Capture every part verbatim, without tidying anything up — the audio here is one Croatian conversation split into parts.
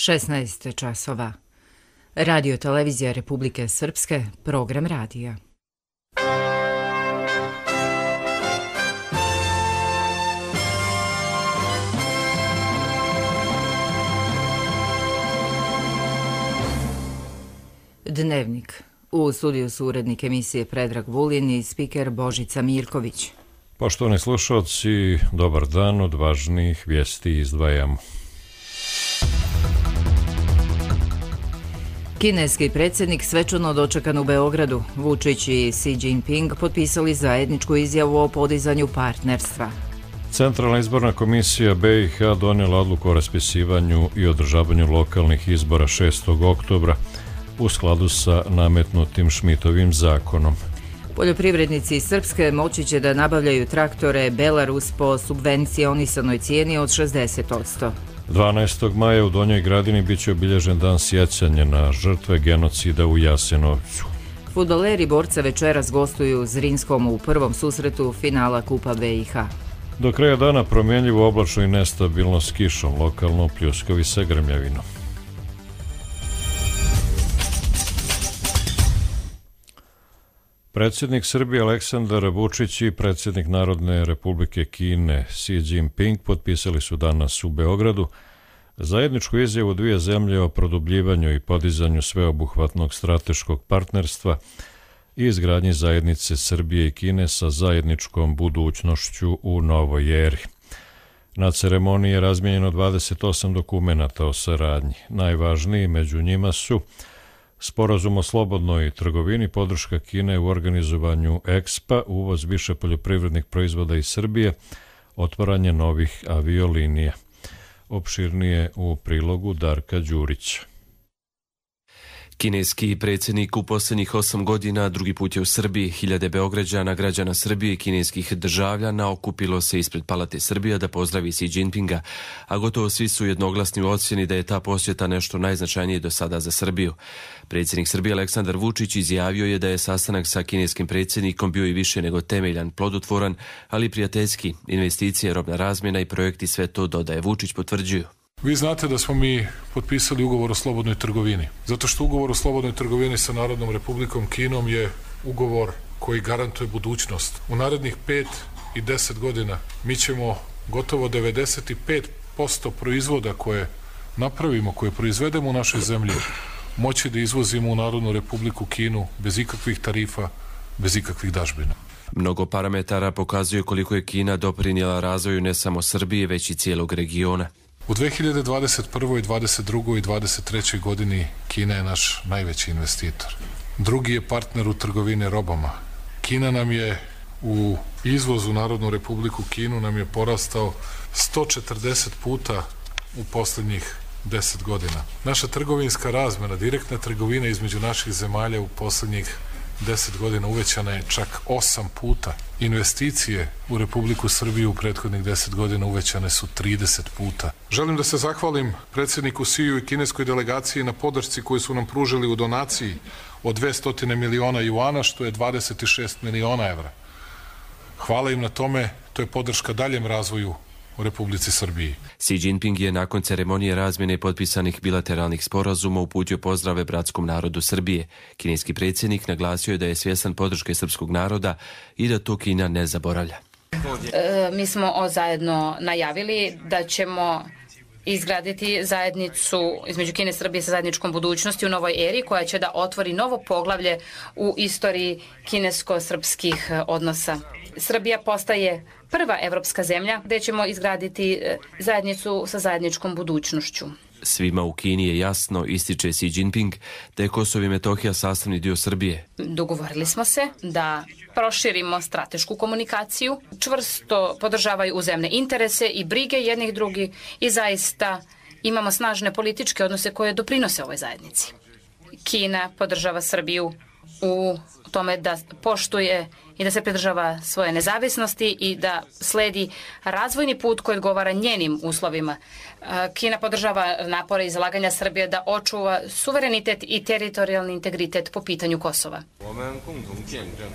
šesnaest časova. Radio televizija Republike Srpske, program radija. Dnevnik. U studiju su urednik emisije Predrag Vulin i spiker Božica Mirković. Poštovani slušalci, dobar dan, od važnijih vijesti izdvajamo. Kineski predsjednik svečano dočekan u Beogradu. Vučić i Xi Jinping potpisali zajedničku izjavu o podizanju partnerstva. Centralna izborna komisija B i H donijela odluku o raspisivanju i održavanju lokalnih izbora šestog oktobra u skladu sa nametnutim Šmitovim zakonom. Poljoprivrednici iz Srpske moći će da nabavljaju traktore Belarus po subvencionisanoj cijeni od šezdeset posto. dvanaestog maja u Donjoj Gradini biće obilježen dan sjećanja na žrtve genocida u Jasenovcu. Fudbaleri borca večeras gostuju Zrinskom u prvom susretu finala Kupa B i H. Do kraja dana promjenljivo oblačno i nestabilno s kišom, lokalno pljuskovi sa grmljavinom. Predsjednik Srbije Aleksandar Vučić i predsjednik Narodne Republike Kine Xi Jinping potpisali su danas u Beogradu zajedničku izjavu dvije zemlje o produbljivanju i podizanju sveobuhvatnog strateškog partnerstva i izgradnji zajednice Srbije i Kine sa zajedničkom budućnošću u novoj eri. Na ceremoniji je razmijenjeno dvadeset osam dokumenata o saradnji. Najvažniji među njima su Sporazum o slobodnoj trgovini, podrška Kine u organizovanju Expa, uvoz više poljoprivrednih proizvoda iz Srbije, otvaranje novih aviolinija. Opširnije u prilogu Darka Đurića. Kineski predsjednik u posljednjih osam godina drugi put je u Srbiji. Hiljade Beograđana, građana Srbije i kineskih državljana okupilo se ispred Palate Srbija da pozdravi Xi Jinpinga, a gotovo svi su jednoglasni u ocjeni da je ta posjeta nešto najznačajnije do sada za Srbiju. Predsjednik Srbije Aleksandar Vučić izjavio je da je sastanak sa kineskim predsjednikom bio i više nego temeljan, plodotvoran, ali prijateljski. Investicije, robna razmjena i projekti, sve to, dodaje Vučić, potvrđuju. Vi znate da smo mi potpisali ugovor o slobodnoj trgovini. Zato što ugovor o slobodnoj trgovini sa Narodnom Republikom Kinom je ugovor koji garantuje budućnost. U narednih pet i deset godina mi ćemo gotovo devedeset pet posto proizvoda koje napravimo, koje proizvedemo u našoj zemlji, moći da izvozimo u Narodnu Republiku Kinu bez ikakvih tarifa, bez ikakvih dažbina. Mnogo parametara pokazuje koliko je Kina doprinijela razvoju ne samo Srbije, već i cijelog regiona. U dve hiljade dvadeset prvoj, dvadeset drugoj i dvadeset trećoj godini Kina je naš najveći investitor. Drugi je partner u trgovini robama. Kina nam je u izvozu Narodnu Republiku Kinu nam je porastao sto četrdeset puta u posljednjih deset godina. Naša trgovinska razmjena, direktna trgovina između naših zemalja u posljednjih deset godina uvećana je čak osam puta. Investicije u Republiku Srbiju u prethodnih deset godina uvećane su trideset puta. Želim da se zahvalim predsjedniku Xiju i kineskoj delegaciji na podršci koju su nam pružili u donaciji od dvesta miliona juana, što je dvadeset šest miliona evra. Hvala im na tome, to je podrška daljem razvoju u Republici Srbiji. Xi Jinping je nakon ceremonije razmjene potpisanih bilateralnih sporazuma uputio pozdrave bratskom narodu Srbije. Kineski predsjednik naglasio je da je svjestan podrške srpskog naroda i da to Kina ne zaboravlja. E, mi smo zajedno najavili da ćemo izgraditi zajednicu između Kine i Srbije sa zajedničkom budućnosti u novoj eri koja će da otvori novo poglavlje u istoriji kinesko-srpskih odnosa. Srbija postaje prva evropska zemlja gdje ćemo izgraditi zajednicu sa zajedničkom budućnošću. Svima u Kini je jasno, ističe Xi Jinping, da je Kosovo i Metohija sastavni dio Srbije. Dogovorili smo se da proširimo stratešku komunikaciju, čvrsto podržavaju uzajamne interese i brige jednih drugih i zaista imamo snažne političke odnose koje doprinose ovoj zajednici. Kina podržava Srbiju u tome da poštuje i da se pridržava svoje nezavisnosti i da sledi razvojni put koji odgovara njenim uslovima. Kina podržava napore i zalaganja Srbije da očuva suverenitet i teritorijalni integritet po pitanju Kosova.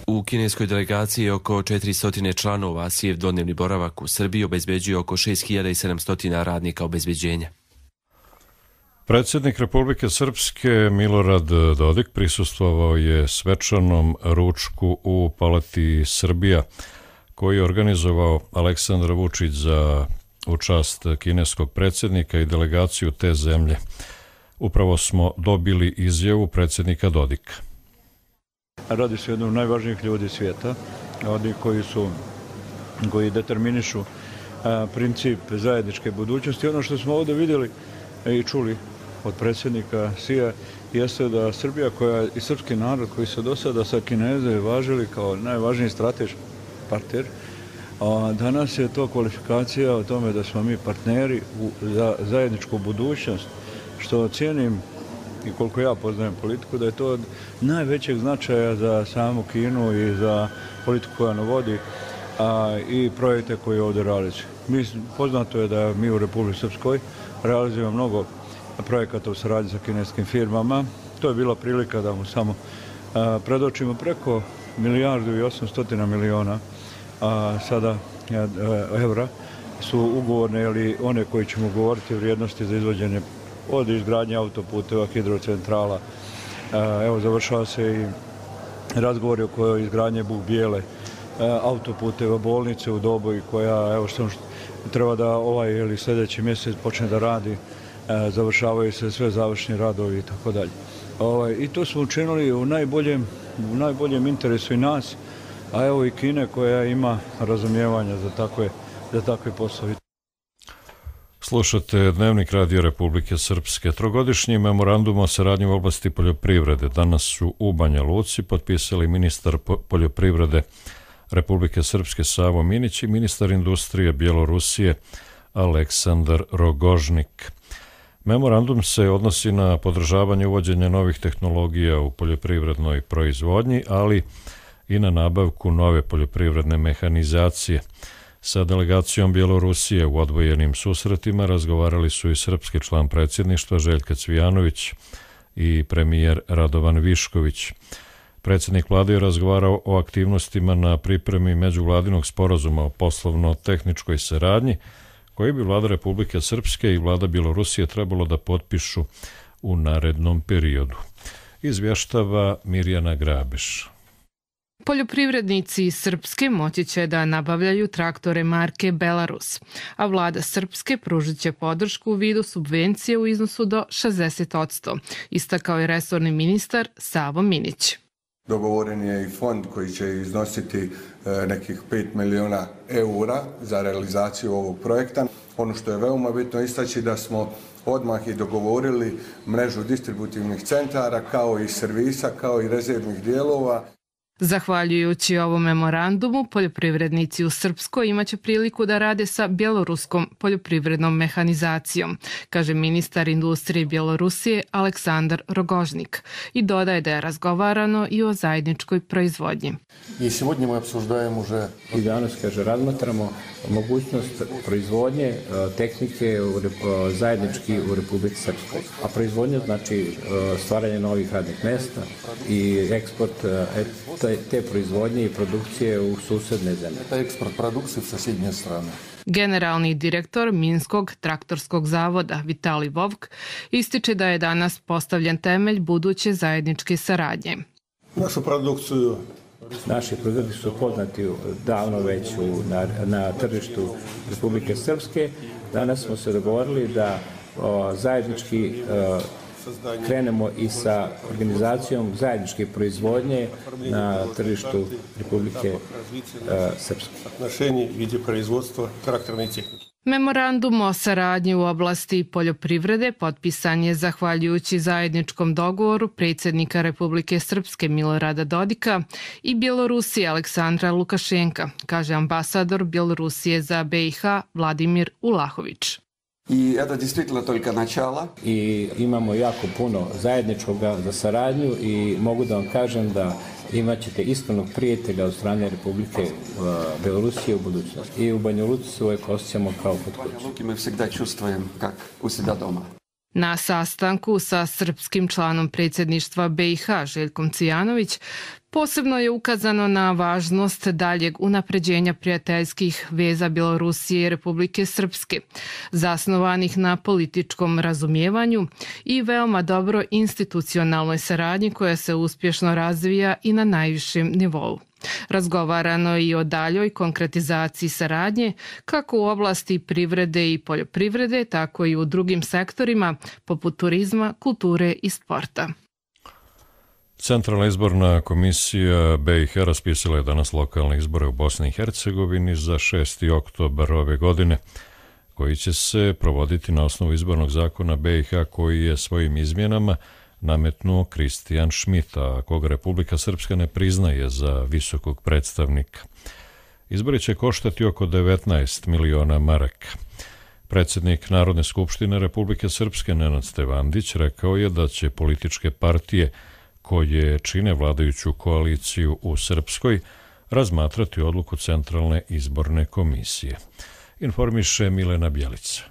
U kineskoj delegaciji je oko četiristo članova, a Xijev dvodnevni boravak u Srbiji obezbeđuje oko šest hiljada sedamsto radnika obezbeđenja. Predsjednik Republike Srpske Milorad Dodik prisustvovao je svečanom ručku u Palati Srbija, koji je organizovao Aleksandar Vučić za u čast kineskog predsjednika i delegaciju te zemlje. Upravo smo dobili izjavu predsjednika Dodika. Radi se jednom od najvažnijih ljudi svijeta, oni koji su, koji determinišu a, princip zajedničke budućnosti. Ono što smo ovdje vidjeli i čuli od predsjednika Sija jeste da Srbija koja i srpski narod koji su do sada sa Kineze važili kao najvažniji strateški partner, a danas je to kvalifikacija o tome da smo mi partneri u, za zajedničku budućnost, što cijenim i koliko ja poznajem politiku, da je to od najvećeg značaja za samu Kinu i za politiku koja ona vodi, a i projekte koje ovdje realizuju. Mi, poznato je da mi u Republici Srpskoj realizujemo mnogo projekata u saradnji sa kineskim firmama. To je bila prilika da mu samo a, predočimo preko milijardu i osamstotina miliona a, sada a, evra su ugovorne ili one koji ćemo govoriti o vrijednosti za izvođenje od izgradnje autoputeva, hidrocentrala. A, evo završava se i razgovori oko izgradnje Buk Bijele, a, autoputeva, bolnice u Doboji koja evo što treba da ovaj ili sljedeći mjesec počne da radi. Završavaju se sve završni radovi i tako dalje. I to smo učinili u najboljem, u najboljem interesu i nas, a evo i Kine koja ima razumijevanja za takve, za takve poslove. Slušate Dnevnik Radio Republike Srpske. Trogodišnji memorandum o saradnji u oblasti poljoprivrede danas su u Banja Luci potpisali ministar poljoprivrede Republike Srpske Savo Minić i ministar industrije Bjelorusije Aleksandar Rogožnik. Memorandum se odnosi na podržavanje uvođenja novih tehnologija u poljoprivrednoj proizvodnji, ali i na nabavku nove poljoprivredne mehanizacije. Sa delegacijom Bjelorusije u odvojenim susretima razgovarali su i srpski član predsjedništva Željka Cvijanović i premijer Radovan Višković. Predsjednik vlade je razgovarao o aktivnostima na pripremi međuvladinog sporazuma o poslovno-tehničkoj saradnji, koji bi vlada Republike Srpske i vlada Bjelorusije trebalo da potpišu u narednom periodu. Izvještava Mirjana Grabeš. Poljoprivrednici iz Srpske moći će da nabavljaju traktore marke Belarus, a vlada Srpske pružit će podršku u vidu subvencije u iznosu do šezdeset posto, istakao je resorni ministar Savo Minić. Dogovoren je i fond koji će iznositi nekih pet miliona eura za realizaciju ovog projekta. Ono što je veoma bitno istaći da smo odmah i dogovorili mrežu distributivnih centara kao i servisa, kao i rezervnih dijelova. Zahvaljujući ovom memorandumu, poljoprivrednici u Srpskoj imaće priliku da rade sa bjeloruskom poljoprivrednom mehanizacijom, kaže ministar industrije Bjelorusije Aleksandar Rogožnik i dodaje da je razgovarano i o zajedničkoj proizvodnji. I сегодня мы обсуждаем уже i danas kaže razmatramo mogućnost proizvodnje tehnike zajednički u Republici Srpskoj. A proizvodnja znači stvaranje novih radnih mjesta i eksport te proizvodnje i produkcije u susedne zemlje. Eksport produkcije u susjedne strane. Generalni direktor Minskog traktorskog zavoda Vitali Vovk ističe da je danas postavljen temelj buduće zajedničke saradnje. Našu produkciju Naši proizvodi su poznati davno već na, na tržištu Republike Srpske. Danas smo se dogovorili da o, zajednički o, krenemo i sa organizacijom zajedničke proizvodnje na tržištu Republike Srpske. Отношений в виде производства тракторной техники. Memorandum o saradnji u oblasti poljoprivrede potpisan je zahvaljujući zajedničkom dogovoru predsjednika Republike Srpske Milorada Dodika i Bjelorusije Aleksandra Lukašenka, kaže ambasador Bjelorusije za B i H Vladimir Ulahović. I это действительно только начало. I imamo jako puno zajedničkoga za saradnju i mogu da vam kažem da imat ćete iskrenog prijatelja od strane Republike uh, Bjelorusije u budućnosti. I u Banja Luci se uvijek osjećamo kao kod kuće. My всегда чувствуем как у себя дома. Na sastanku sa srpskim članom predsjedništva B i H Željkom Cijanović posebno je ukazano na važnost daljeg unapređenja prijateljskih veza Bjelorusije i Republike Srpske, zasnovanih na političkom razumijevanju i veoma dobro institucionalnoj saradnji koja se uspješno razvija i na najvišem nivou. Razgovarano je i o daljoj konkretizaciji saradnje kako u oblasti privrede i poljoprivrede, tako i u drugim sektorima poput turizma, kulture i sporta. Centralna izborna komisija B i H raspisala je danas lokalne izbore u Bosni i Hercegovini za šesti oktobar ove godine, koji će se provoditi na osnovu izbornog zakona B i H koji je svojim izmjenama nametnuo Kristijan Schmidt, a koga Republika Srpska ne priznaje za visokog predstavnika. Izbori će koštati oko devetnaest miliona maraka. Predsjednik Narodne skupštine Republike Srpske Nenad Stevandić rekao je da će političke partije koje čine vladajuću koaliciju u Srpskoj razmatrati odluku Centralne izborne komisije. Informiše Milena Bjelica.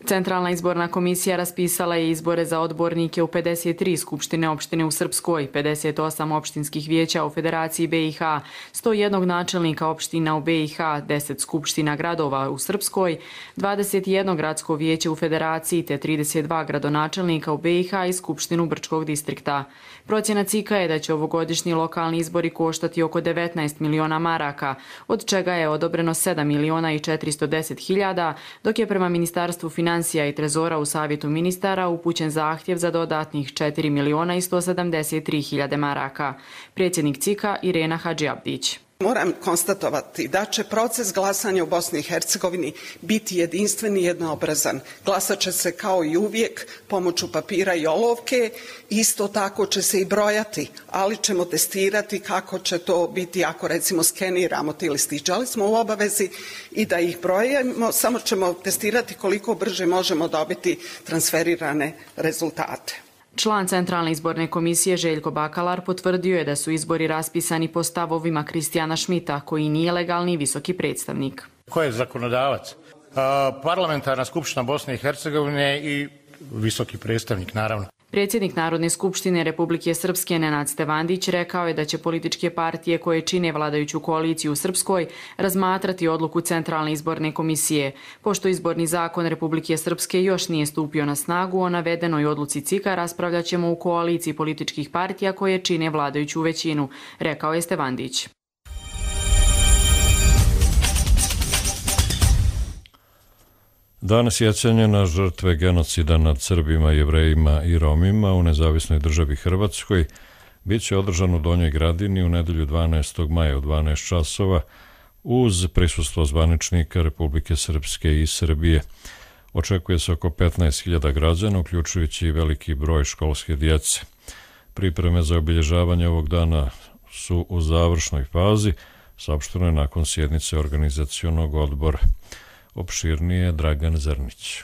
Centralna izborna komisija raspisala je izbore za odbornike u pedeset tri skupštine opštine u Srpskoj, pedeset osam opštinskih vijeća u Federaciji B i H, sto jedan načelnika opština u B i H, deset skupština gradova u Srpskoj, dvadeset jedno gradsko vijeće u Federaciji te trideset dva gradonačelnika u B i H i Skupštinu Brčkog distrikta. Procjena C I K-a je da će ovogodišnji lokalni izbori koštati oko devetnaest miliona maraka, od čega je odobreno sedam miliona i četiristo deset hiljada, dok je prema Ministarstvu financija Financija i Trezora u Savjetu ministara upućen zahtjev za dodatnih četiri miliona i sto sedamdeset tri hiljade maraka. Predsjednik C I K-a Irena Hadžiabdić. Moram konstatovati da će proces glasanja u Bosni i Hercegovini biti jedinstven i jednoobrazan. Glasat će se kao i uvijek pomoću papira i olovke, isto tako će se i brojati, ali ćemo testirati kako će to biti ako recimo skeniramo ti listiće, ali smo u obavezi i da ih brojimo, samo ćemo testirati koliko brže možemo dobiti transferirane rezultate. Član Centralne izborne komisije Željko Bakalar potvrdio je da su izbori raspisani po stavovima Kristijana Schmidta, koji nije legalni visoki predstavnik. Ko je zakonodavac? Parlamentarna skupština Bosne i Hercegovine i visoki predstavnik, naravno. Predsjednik Narodne skupštine Republike Srpske Nenad Stevandić rekao je da će političke partije koje čine vladajuću koaliciju u Srpskoj razmatrati odluku Centralne izborne komisije. Pošto izborni zakon Republike Srpske još nije stupio na snagu, o navedenoj odluci C I K-a raspravljat ćemo u koaliciji političkih partija koje čine vladajuću većinu, rekao je Stevandić. Dan sjećanja na žrtve genocida nad Srbima, Jevrejima i Romima u nezavisnoj državi Hrvatskoj bit će održan u Donjoj Gradini u nedelju dvanaestog maja u dvanaest časova uz prisustvo zvaničnika Republike Srpske i Srbije. Očekuje se oko petnaest hiljada građana, uključujući i veliki broj školske djece. Pripreme za obilježavanje ovog dana su u završnoj fazi, saopšteno je nakon sjednice organizacionog odbora. Opširnije Dragan Zrnić.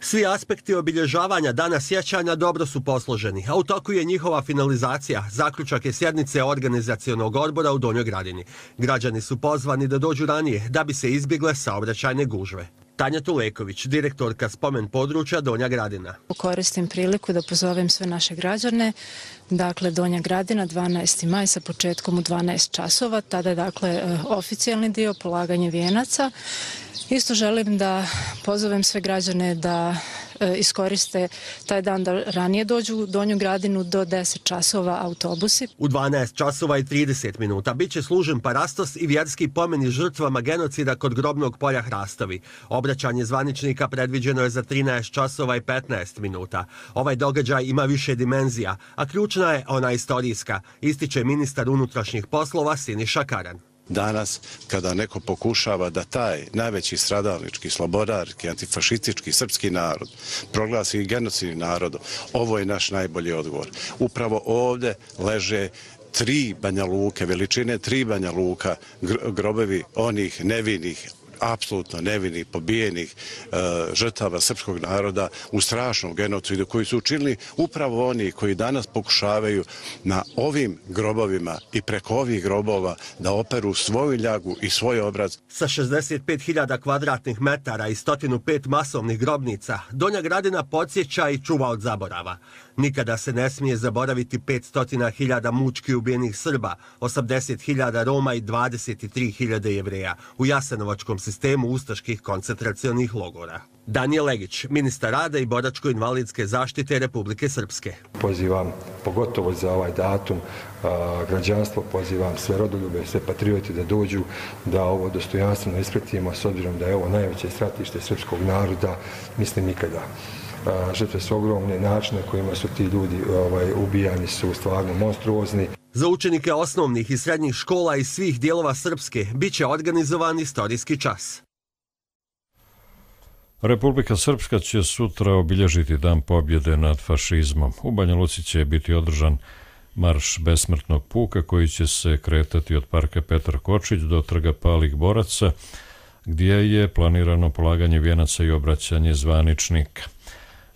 Svi aspekti obilježavanja Dana sjećanja dobro su posloženi, a u toku je njihova finalizacija. Zaključak je sjednice organizacionog odbora u Donjoj Gradini. Građani su pozvani da dođu ranije da bi se izbjegle saobraćajne gužve. Tanja Tuleković, direktorka spomen područja Donja Gradina. Koristim priliku da pozovem sve naše građane. Dakle, Donja Gradina, dvanaesti maj sa početkom u dvanaest časova. Tada je dakle oficijalni dio, polaganje vijenaca. Isto želim da pozovem sve građane da iskoriste taj dan da ranije dođu u Donju Gradinu do deset časova autobusi. U dvanaest časova i trideset minuta bit će služen parastos i vjerski pomeni žrtvama genocida kod grobnog polja Hrastovi. Obraćanje zvaničnika predviđeno je za trinaest časova i petnaest minuta. Ovaj događaj ima više dimenzija, a ključna je ona istorijska, ističe ministar unutrašnjih poslova Siniša Karan. Danas, kada neko pokušava da taj najveći stradalnički, slobodarski, antifašistički srpski narod proglasi genocidnim narodom, ovo je naš najbolji odgovor. Upravo ovdje leže tri Banja Luke, veličine tri Banja Luka, grobovi onih nevinih apsolutno nevinih, pobijenih e, žrtava srpskog naroda u strašnom genocidu koji su učinili upravo oni koji danas pokušavaju na ovim grobovima i preko ovih grobova da operu svoju ljagu i svoj obraz. Sa šezdeset pet hiljada kvadratnih metara i sto pet masovnih grobnica, Donja Gradina podsjeća i čuva od zaborava. Nikada se ne smije zaboraviti petsto hiljada mučki ubijenih Srba, osamdeset hiljada Roma i dvadeset tri hiljade Jevreja u jasenovačkom sistemu ustaških koncentracionih logora. Danijel Legić, ministar rada i boračko-invalidske zaštite Republike Srpske. Pozivam, pogotovo za ovaj datum, građanstvo, pozivam sve rodoljube, sve patrioti da dođu, da ovo dostojanstveno ispratimo, s obzirom da je ovo najveće stratište srpskog naroda, mislim nikada. Žrtve su ogromne, načine kojima su ti ljudi ovaj, ubijani su stvarno monstruozni. Za učenike osnovnih i srednjih škola iz svih dijelova Srpske bit će organizovan istorijski čas. Republika Srpska će sutra obilježiti Dan pobjede nad fašizmom. U Banja Luci će biti održan marš besmrtnog puka koji će se kretati od parka Petar Kočić do trga Palih boraca, gdje je planirano polaganje vijenaca i obraćanje zvaničnika.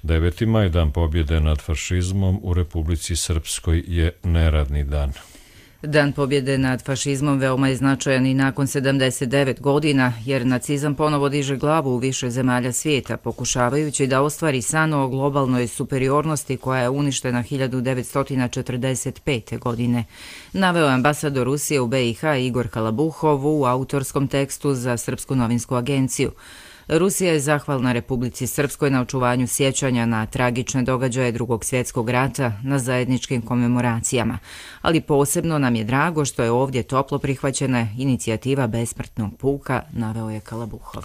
deveti maj, Dan pobjede nad fašizmom, u Republici Srpskoj je neradni dan. Dan pobjede nad fašizmom veoma je značajan i nakon sedamdeset devet godina, jer nacizam ponovo diže glavu u više zemalja svijeta, pokušavajući da ostvari san o globalnoj superiornosti koja je uništena hiljadu devetsto četrdeset pete. godine. Naveo je ambasador Rusije u be i ha Igor Kalabuhov u autorskom tekstu za Srpsku novinsku agenciju. Rusija je zahvalna Republici Srpskoj na očuvanju sjećanja na tragične događaje Drugog svjetskog rata na zajedničkim komemoracijama, ali posebno nam je drago što je ovdje toplo prihvaćena inicijativa besmrtnog puka, naveo je Kalabuhov.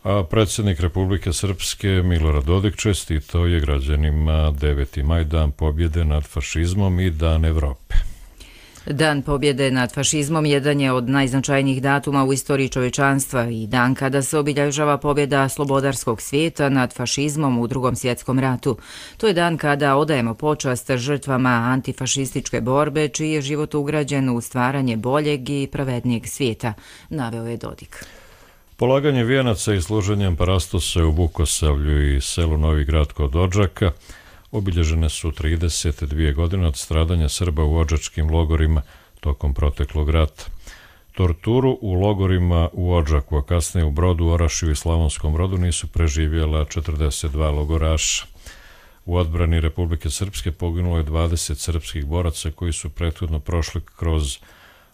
A predsjednik Republike Srpske Milorad Dodik čestitao je građanima deveti maj, Dan pobjede nad fašizmom i Dan Evrope. Dan pobjede nad fašizmom jedan je od najznačajnijih datuma u istoriji čovječanstva i dan kada se obilježava pobjeda slobodarskog svijeta nad fašizmom u Drugom svjetskom ratu. To je dan kada odajemo počast žrtvama antifašističke borbe, čiji je život ugrađen u stvaranje boljeg i pravednijeg svijeta, naveo je Dodik. Polaganje vijenaca i služenjem parastose u Vukosavlju i selu Novi Grad kod Odžaka obilježene su trideset dvije godine od stradanja Srba u odžačkim logorima tokom proteklog rata. Torturu u logorima u Odžaku, a kasnije u Brodu, Orašiju i Slavonskom Brodu nisu preživjela četrdeset dva logoraša. U odbrani Republike Srpske poginulo je dvadeset srpskih boraca koji su prethodno prošli kroz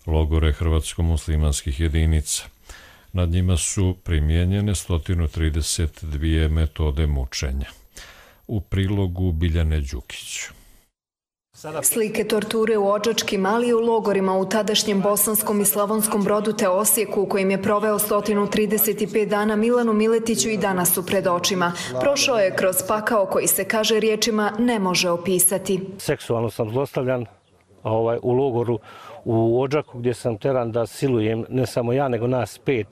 logore hrvatsko-muslimanskih jedinica. Nad njima su primijenjene sto trideset dvije metode mučenja. U prilogu Biljane Đukić. Slike torture u odžačkim, ali i u logorima u tadašnjem Bosanskom i Slavonskom Brodu te Osijeku, u kojim je proveo sto trideset pet dana, Milanu Miletiću i danas su pred očima. Prošao je kroz pakao koji se, kaže riječima, ne može opisati. Seksualno sam zlostavljan ovaj, u logoru u Odžaku, gdje sam teran da silujem ne samo ja, nego nas pet,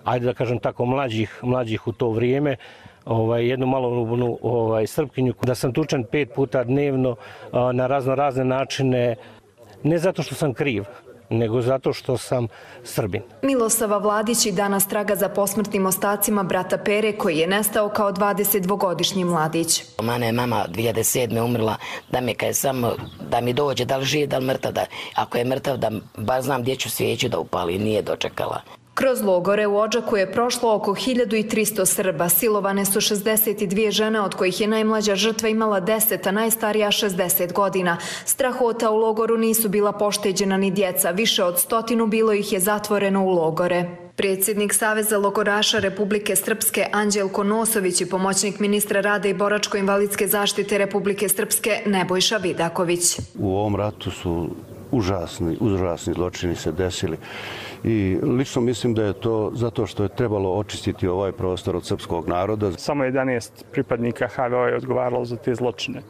ajde da kažem tako, mlađih, mlađih u to vrijeme, Ovaj, jednu malolubnu ovaj, Srpkinju, da sam tučen pet puta dnevno a, na razno razne načine, ne zato što sam kriv, nego zato što sam Srbin. Milosava Vladić i danas traga za posmrtnim ostacima brata Pere, koji je nestao kao dvadesetdvogodišnji mladić. Mane je mama dvije hiljade sedme umrla, da mi kaj samo, da mi dođe, da li živ, da li mrtav, da, ako je mrtav, da bar znam gdje ću svijeću da upali, nije dočekala. Kroz logore u Odžaku je prošlo oko hiljadu tristo Srba. Silovane su šezdeset dvije žene, od kojih je najmlađa žrtva imala deset, a najstarija šezdeset godina. Strahota u logoru nisu bila pošteđena ni djeca. Više od stotinu bilo ih je zatvoreno u logore. Predsjednik Saveza logoraša Republike Srpske Anđelko Nosović i pomoćnik ministra rada i boračko-invalidske zaštite Republike Srpske Nebojša Vidaković. U ovom ratu su užasni, užasni zločini se desili. I lično mislim da je to zato što je trebalo očistiti ovaj prostor od srpskog naroda. Samo jedanaest pripadnika ha ve o je odgovaralo za te zločine. E,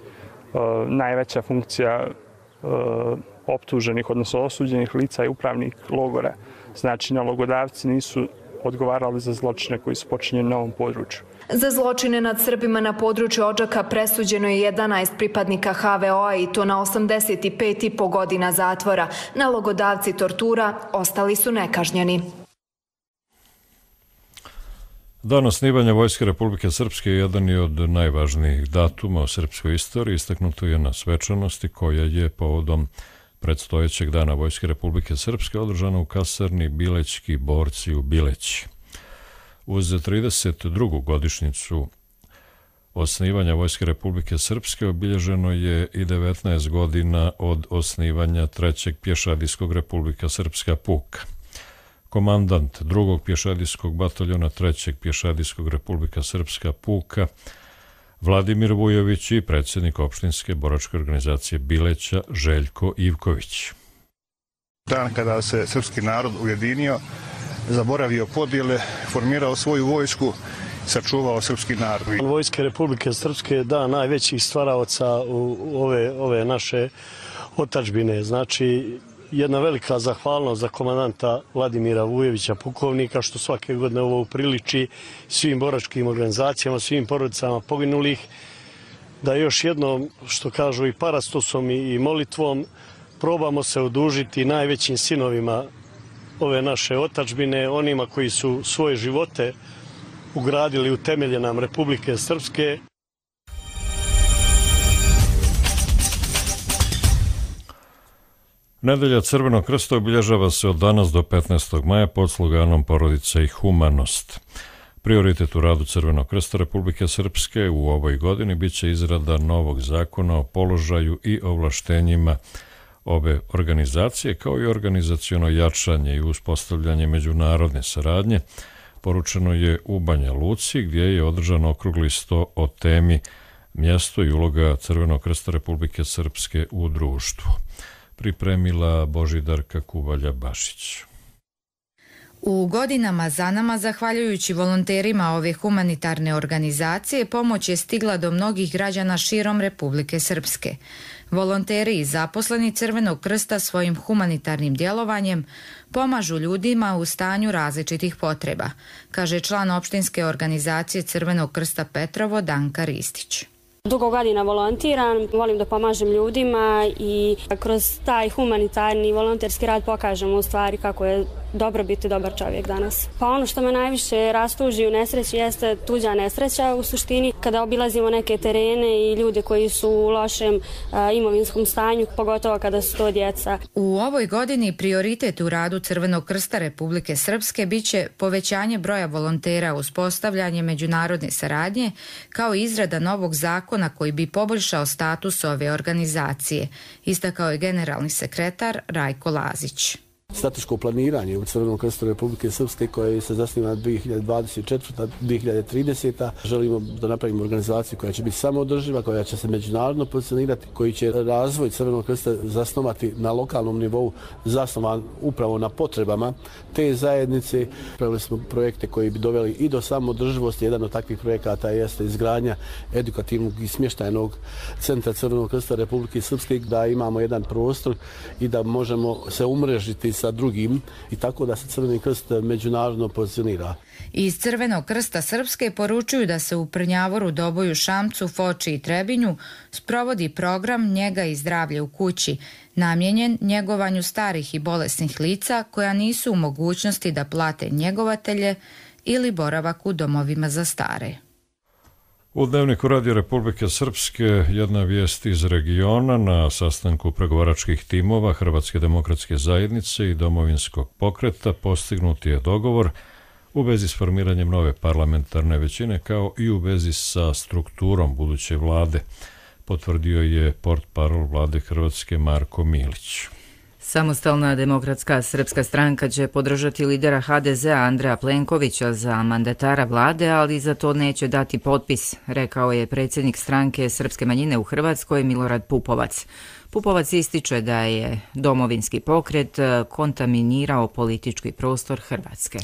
najveća funkcija e, optuženih, odnosno osuđenih lica je upravnik logora. Znači, nalogodavci nisu odgovarali za zločine koji su počinjeni na ovom području. Za zločine nad Srbima na području Odžaka presuđeno je jedanaest pripadnika ha ve o a i to na osamdeset pet i po godina zatvora. Nalogodavci tortura ostali su nekažnjeni. Dan osnivanja Vojske Republike Srpske jedan je od najvažnijih datuma u srpskoj istoriji. Istaknuto je na svečanosti koja je povodom predstojećeg dana Vojske Republike Srpske održana u kasarni Bilećki borci u Bileći. Uz trideset drugu godišnjicu osnivanja Vojske Republike Srpske obilježeno je i devetnaest godina od osnivanja trećeg pješadijskog Republika Srpska puka. Komandant drugog pješadijskog bataljona trećeg pješadijskog Republika Srpska puka Vladimir Vujović i predsjednik opštinske boračke organizacije Bileća Željko Ivković. Dan kada se srpski narod ujedinio, zaboravio podjele, formirao svoju vojsku, sačuvao srpski narod. Vojske Republike Srpske je dan najvećih stvaraoca u ove, ove naše otadžbine. Znači, jedna velika zahvalnost za komandanta Vladimira Vujovića, pukovnika, što svake godine ovo upriliči svim boračkim organizacijama, svim porodicama poginulih, da još jednom, što kažu i parastosom i molitvom, probamo se odužiti najvećim sinovima ove naše otadžbine, onima koji su svoje živote ugradili u temelje nam Republike Srpske. Nedelja Crvenog krsta obilježava se od danas do petnaestog maja pod sloganom Porodica i humanost. Prioritet u radu Crvenog krsta Republike Srpske u ovoj godini biće izrada novog zakona o položaju i ovlaštenjima ove organizacije, kao i organizaciono jačanje i uspostavljanje međunarodne saradnje, poručeno je u Banja Luci, gdje je održan okrugli sto o temi mjesto i uloga Crvenog krsta Republike Srpske u društvu. Pripremila Božidarka Kuvalja-Bašić. U godinama za nama, zahvaljujući volonterima ove humanitarne organizacije, pomoć je stigla do mnogih građana širom Republike Srpske. Volonteri i zaposleni Crvenog krsta svojim humanitarnim djelovanjem pomažu ljudima u stanju različitih potreba, kaže član opštinske organizacije Crvenog krsta Petrovo Danka Ristić. Dugo godina volontiram, volim da pomažem ljudima i kroz taj humanitarni volonterski rad pokažem u stvari kako je dobro biti dobar čovjek danas. Pa ono što me najviše rastuži u nesreći jeste tuđa nesreća u suštini, kada obilazimo neke terene i ljude koji su u lošem a, imovinskom stanju, pogotovo kada su to djeca. U ovoj godini prioritet u radu Crvenog krsta Republike Srpske biće povećanje broja volontera, uspostavljanje međunarodne saradnje, kao i izrada novog zakona koji bi poboljšao status ove organizacije, istakao je generalni sekretar Rajko Lazić. Strateško planiranje u Crvenom krstu Republike Srpske koje se zasniva na dvije hiljade dvadeset četvrta do dvije hiljade trideseta. Želimo da napravimo organizaciju koja će biti samoodrživa, koja će se međunarodno pozicionirati, koji će razvoj Crvenog krsta zasnovati na lokalnom nivou, zasnovan upravo na potrebama te zajednice. Pravili smo projekte koji bi doveli i do samoodrživosti. Jedan od takvih projekata jeste izgradnja edukativnog i smještajnog centra Crvenog krsta Republike Srpske, da imamo jedan prostor i da možemo se umrežiti sa drugim i tako da se Crveni krst međunarodno pozicionira. Iz Crvenog krsta Srpske poručuju da se u Prnjavoru, Doboju, Šamcu, Foči i Trebinju sprovodi program Njega i zdravlje u kući, namijenjen njegovanju starih i bolesnih lica koja nisu u mogućnosti da plate njegovatelje ili boravak u domovima za stare. U Dnevniku Radio Republike Srpske jedna vijest iz regiona. Na sastanku pregovaračkih timova Hrvatske demokratske zajednice i Domovinskog pokreta postignut je dogovor u vezi s formiranjem nove parlamentarne većine, kao i u vezi sa strukturom buduće vlade, potvrdio je portparol vlade Hrvatske Marko Milić. Samostalna demokratska srpska stranka će podržati lidera ha de zea Andreja Plenkovića za mandatara vlade, ali za to neće dati potpis, rekao je predsjednik stranke srpske manjine u Hrvatskoj Milorad Pupovac. Pupovac ističe da je domovinski pokret kontaminirao politički prostor Hrvatske.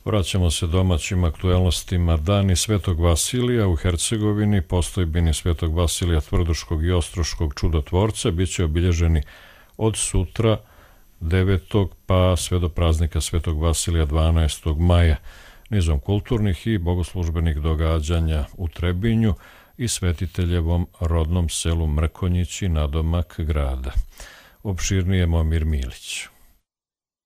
Vraćamo se domaćim aktuelnostima. Dani Svetog Vasilija u Hercegovini, postojbini Svetog Vasilija Tvrduškog i Ostroškog čudotvorca biće obilježeni od sutra devetog pa sve do praznika Svetog Vasilija dvanaestog maja, nizom kulturnih i bogoslužbenih događanja u Trebinju i svetiteljevom rodnom selu Mrkonjići nadomak grada. Opširnije Momir Milić.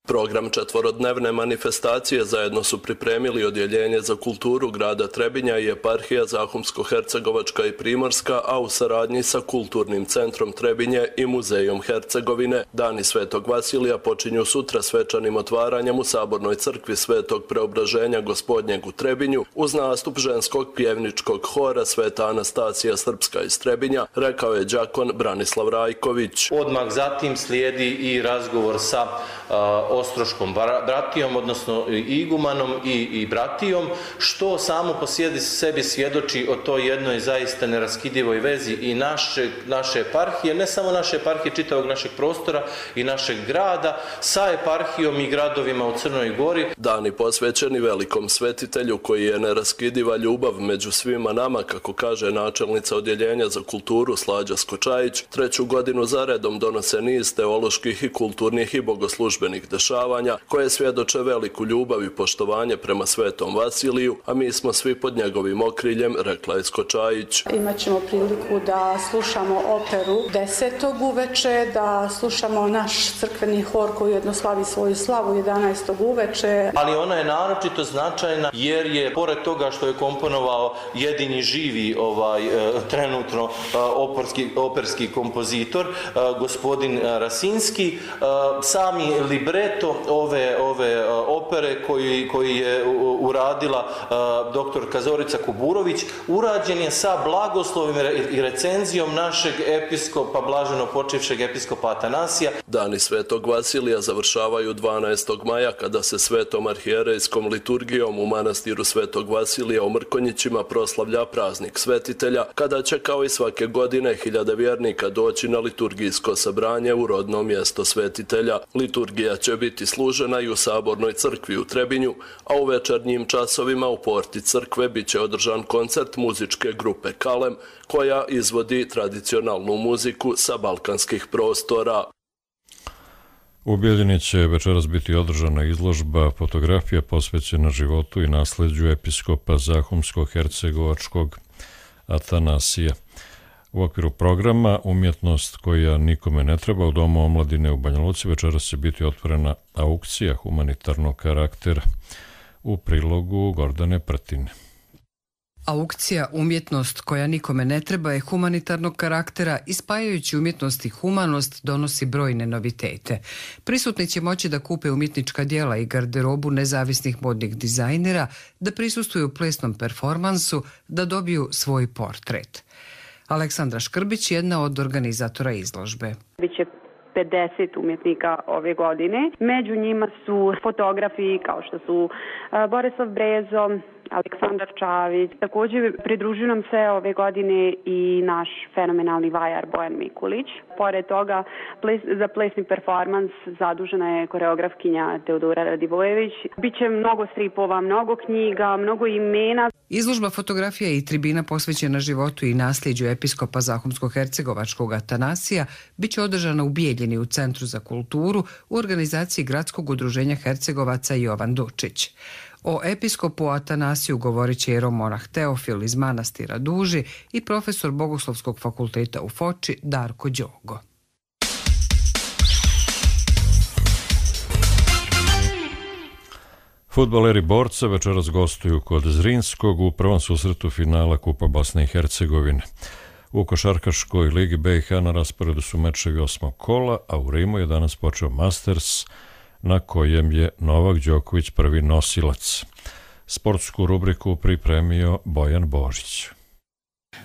Program četvorodnevne manifestacije zajedno su pripremili Odjeljenje za kulturu grada Trebinja i eparhija Zahumsko-Hercegovačka i Primorska, a u saradnji sa Kulturnim centrom Trebinje i Muzejom Hercegovine. Dani Svetog Vasilija počinju sutra svečanim otvaranjem u Sabornoj crkvi Svetog Preobraženja Gospodnjeg u Trebinju uz nastup ženskog pjevničkog hora Sveta Anastasija Srpska iz Trebinja, rekao je đakon Branislav Rajković. Odmah zatim slijedi i razgovor sa uh, Ostroškom bratijom, odnosno igumanom i, i bratijom, što samo po sebi svjedoči o toj jednoj zaista neraskidivoj vezi i naše, naše eparhije, ne samo naše eparhije, čitavog našeg prostora i našeg grada, sa eparhijom i gradovima u Crnoj Gori. Dani posvećeni velikom svetitelju koji je neraskidiva ljubav među svima nama, kako kaže načelnica Odjeljenja za kulturu Slađa Skočajić, treću godinu zaredom donose niz teoloških i kulturnih i bogoslužbenih dešavanja koje svjedoče veliku ljubav i poštovanje prema Svetom Vasiliju, a mi smo svi pod njegovim okriljem, rekla je Skočajić. Imaćemo priliku da slušamo operu desetog uveče, da slušamo naš crkveni hor koji jedno slavi svoju slavu jedanaestog uveče. Ali ona je naročito značajna jer je, pored toga što je komponovao jedini živi ovaj, trenutno operski, operski kompozitor, gospodin Rasinski, sami libreto ove, ove opere koji, koji je uradila doktorka Zorica Kuburović, urađen je sa blagoslovima i recenzijom našeg episkopa, blaženo počivšeg episkopa Atanasija. Dani Svetog Vasilija završavaju dvanaestog maja kada se svetom arhijerejskom liturgijom u manastiru Svetog Vasilija u Mrkonjićima proslavlja praznik svetitelja, kada će kao i svake godine hiljade vjernika doći na liturgijsko sabranje u rodno mjesto svetitelja. Liturgija će biti služena i u Sabornoj crkvi u Trebinju, a u večernjim časovima u porti crkve bit će održan koncert muzičke grupe Kalem, koja izvodi tradicionalnu muziku sa balkanskih prostora. U Bijeljini će večeras biti održana izložba fotografija posvećena životu i nasleđu episkopa Zahumsko-Hercegovačkog Atanasija. U okviru programa Umjetnost koja nikome ne treba u Domu omladine u Banja Luci večeras će biti otvorena aukcija humanitarnog karaktera. U prilogu Gordane Prtine. Aukcija Umjetnost koja nikome ne treba je humanitarnog karaktera i spajajući umjetnost i humanost donosi brojne novitete. Prisutni će moći da kupe umjetnička djela i garderobu nezavisnih modnih dizajnera, da prisustvuju plesnom performansu, da dobiju svoj portret. Aleksandra Škrbić, jedna od organizatora izložbe. Biće pedeset umjetnika ove godine. Među njima su fotografi kao što su Borislav Brezo, Aleksandar Čavić. Također pridružuju nam se ove godine i naš fenomenalni vajar Bojan Mikulić. Pored toga, ples, za plesni performans zadužena je koreografkinja Teodora Radivojević. Biće mnogo stripova, mnogo knjiga, mnogo imena. Izložba fotografija i tribina posvećena životu i nasljeđu episkopa Zahumsko-Hercegovačkog Atanasija biće održana u Bijeljini u Centru za kulturu u organizaciji Gradskog udruženja Hercegovaca Jovan Dučić. O episkopu Atanasiju govorit će jeromonah Teofil iz manastira Duži i profesor Bogoslovskog fakulteta u Foči Darko Đogo. Fudbaleri Borca večeras gostuju kod Zrinskog u prvom susretu finala Kupa Bosne i Hercegovine. U košarkaškoj ligi B i H na rasporedu su mečevi osmog kola, a u Rimu je danas počeo Masters, na kojem je Novak Đoković prvi nosilac. Sportsku rubriku pripremio Bojan Božić.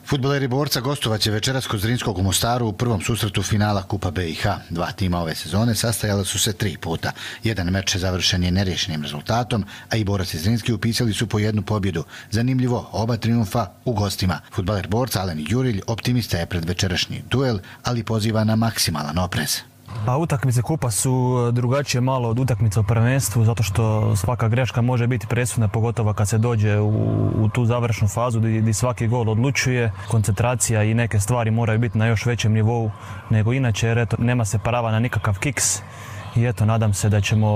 Fudbaleri Borca gostovaće večeras kod Zrinskog u Mostaru u prvom susretu finala Kupa B i H. Dva tima ove sezone sastajala su se tri puta. Jedan meč završen je nerješenim rezultatom, a i Borac i Zrinski upisali su po jednu pobjedu. Zanimljivo, oba triumfa u gostima. Fudbaler Borca Alen Jurelj optimista je pred večerašnji duel, ali poziva na maksimalan oprez. Pa utakmice kupa su drugačije malo od utakmica u prvenstvu, zato što svaka greška može biti presudna, pogotovo kad se dođe u, u tu završnu fazu gdje svaki gol odlučuje. Koncentracija i neke stvari moraju biti na još većem nivou nego inače, jer eto, nema se prava na nikakav kiks. I eto, nadam se da ćemo,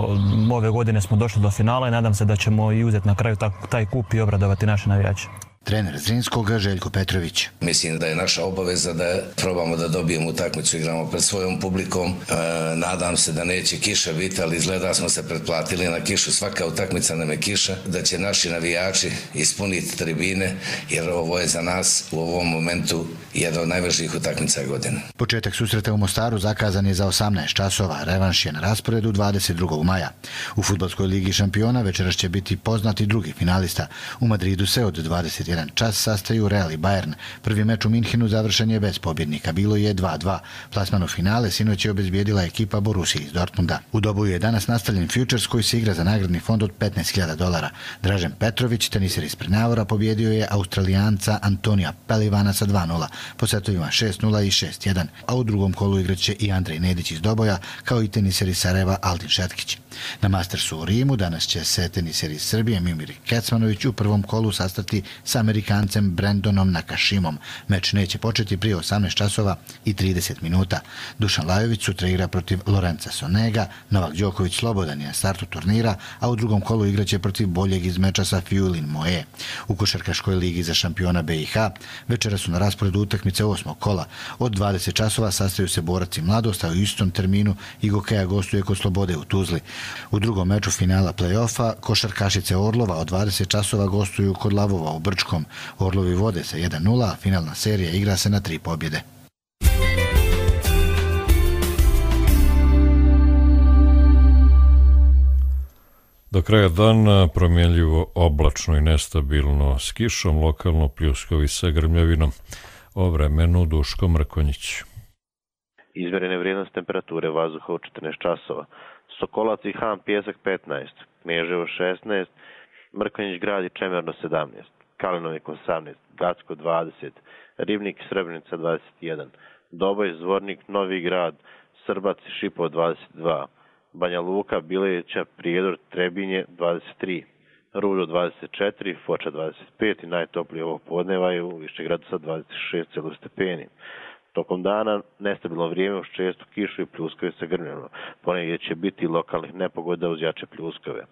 ove godine smo došli do finala i nadam se da ćemo i uzeti na kraju taj, taj kup i obradovati naše navijače. Trener Zrinskog Željko Petrović. Mislim da je naša obaveza da probamo da dobijemo utakmicu, igramo pred svojom publikom. E, nadam se da neće kiša biti, ali izgleda smo se pretplatili na kišu. Svaka utakmica nam je kiša, da će naši navijači ispuniti tribine, jer ovo je za nas u ovom momentu jedna od najvažnijih utakmica godine. Početak susreta u Mostaru zakazan je za osamnaest časova, revanš je na rasporedu dvadeset drugog maja. U Fudbalskoj ligi šampiona večeras će biti poznati drugi finalista. U Madridu se od dvadeset jedan čas sastaju Real i Bayern. Prvi meč u Minhenu završen je bez pobjednika, bilo je dva dva. Plasman u finale sinoć je obezbijedila ekipa Borussia iz Dortmunda. U Doboju je danas nastavljen futures koji se igra za nagradni fond od petnaest hiljada dolara. Dražen Petrović, teniser iz Prnjavora, pobjedio je Australijanca Antonija Pelivana sa dva nula, po setovima šest nula i šest jedan, a u drugom kolu igraće i Andrej Nedić iz Doboja, kao i teniser iz Sarajeva Aldin Šetkić. Na Mastersu u Rimu danas će se teniser iz Srbije Mimir Kecmanović u prvom kolu sastati sa Amerikancem Brandonom Nakashimom. Meč neće početi prije osamnaest časova i trideset minuta. Dušan Lajović sutra igra protiv Lorenza Sonega, Novak Đoković slobodan je na startu turnira, a u drugom kolu igraće protiv boljeg iz meča sa Fiulin Moe. U Košarkaškoj ligi za šampiona B i H večera su na rasporedu utakmice osmog kola. Od dvadeset časova sastaju se Borac i Mladost, a u istom terminu i Gokeja gostuje kod Slobode u Tuzli. U drugom meču finala play-offa košarkašice Orlova od dvadeset časova gostuju kod Lavova u Brčkom. Orlovi vode sa jedan nula, a finalna serija igra se na tri pobjede. Do kraja dana promjenljivo oblačno i nestabilno s kišom, lokalno pljuskovi sa grmljavinom. O vremenu Duško Mrkonjić. Izmjerene vrijednost temperature vazduha u četrnaest časova. Sokolac i Han Pjesak petnaest, Kneževo šesnaest, Mrkonjić Grad i Čemerno sedamnaest, Kalinovik osamnaest, Gacko dvadeset, Ribnik i Srebrenica dvadeset jedan, Doboj, Zvornik, Novi Grad, Srbac i Šipovo dvadeset dva, Banja Luka, Bileća, Prijedor, Trebinje dvadeset tri, Rudo dvadeset četiri, Foča dvadeset pet i najtoplije ovog podneva je u Višegradu sa dvadeset šest stepeni. Tokom dana nestabilno vrijeme uz čestu kišu i pljuskove sa grmljama. Ponegdje će biti lokalnih nepogoda uz jače pljuskove.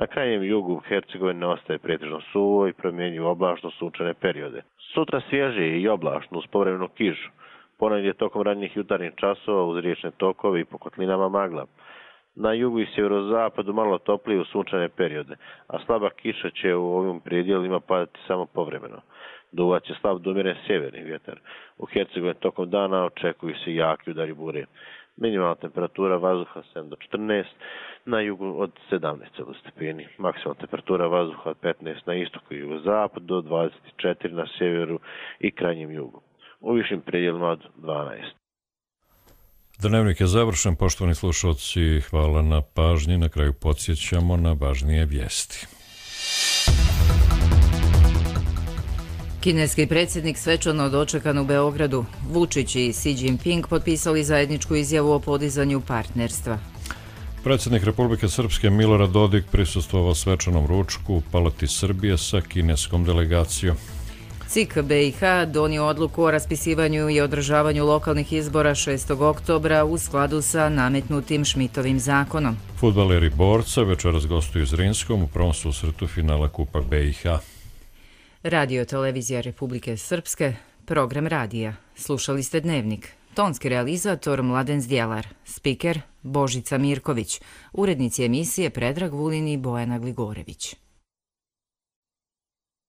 Na krajnjem jugu Hercegovine ostaje pretežno suvo i promjenjivo oblačno sunčane periode. Sutra svježije i oblačno uz povremenu kišu. Ponegdje tokom ranijih jutarnjih časova uz riječne tokove i po kotlinama magla. Na jugu i sjeverozapadu malo toplije u sunčane periode, a slaba kiša će u ovim predjelima padati samo povremeno. Duvat će slab do umjeren sjeverni vjetar. U Hercegovini tokom dana očekuju se jaki udari bure. Minimalna temperatura vazduha sedam do četrnaest, na jugu od sedamnaest stepeni. Maksimalna temperatura vazduha od petnaest na istoku i jugozapadu do dvadeset četiri na sjeveru i krajnjem jugu. U višim predjelima od dvanaest. Dnevnik je završen, poštovani slušalci, hvala na pažnji. Na kraju podsjećamo na važnije vijesti. Kineski predsjednik svečano dočekan u Beogradu. Vučić i Xi Jinping potpisali zajedničku izjavu o podizanju partnerstva. Predsjednik Republike Srpske Milorad Dodik prisustvovao svečanom ručku u Palati Srbije sa kineskom delegacijom. C I K B i H donio odluku o raspisivanju i održavanju lokalnih izbora šestog oktobra u skladu sa nametnutim Šmitovim zakonom. Fudbaleri Borca večeras gostuju Zrinskom u prvom susretu finala Kupa B i H. Radio Televizija Republike Srpske, program radija. Slušali ste Dnevnik. Tonski realizator Mladen Zdjelar, spiker Božica Mirković, urednici emisije Predrag Vulin i Bojana Gligorević.